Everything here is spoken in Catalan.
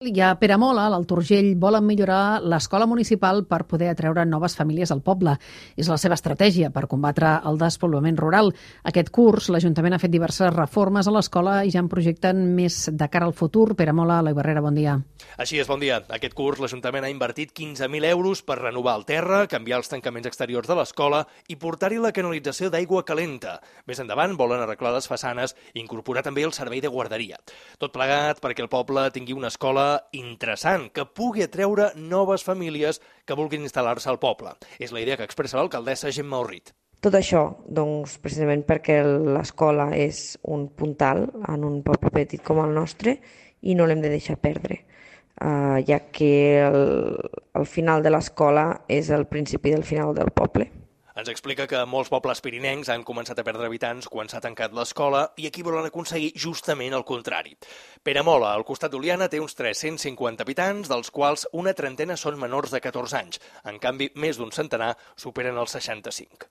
I a Peramola, a l'Alt Urgell, volen millorar l'escola municipal per poder atreure noves famílies al poble. És la seva estratègia per combatre el despoblament rural. Aquest curs, l'Ajuntament ha fet diverses reformes a l'escola i ja en projecten més de cara al futur. Peramola, Eloi Barrera, bon dia. Així és, bon dia. Aquest curs l'Ajuntament ha invertit 15.000 euros per renovar el terra, canviar els tancaments exteriors de l'escola i portar-hi la canalització d'aigua calenta. Més endavant volen arreglar les façanes i incorporar també el servei de guarderia. Tot plegat perquè el poble tingui una escola interessant, que pugui atreure noves famílies que vulguin instal·lar-se al poble. És la idea que expressa l'alcaldessa Gemma Orrit. Tot això, doncs, precisament perquè l'escola és un puntal en un poble petit com el nostre i no l'hem de deixar perdre, ja que el final de l'escola és el principi del final del poble. Ens explica que molts pobles pirinencs han començat a perdre habitants quan s'ha tancat l'escola i aquí volen aconseguir justament el contrari. Peramola, al costat d'Oliana, té uns 350 habitants, dels quals una trentena són menors de 14 anys. En canvi, més d'un centenar superen els 65.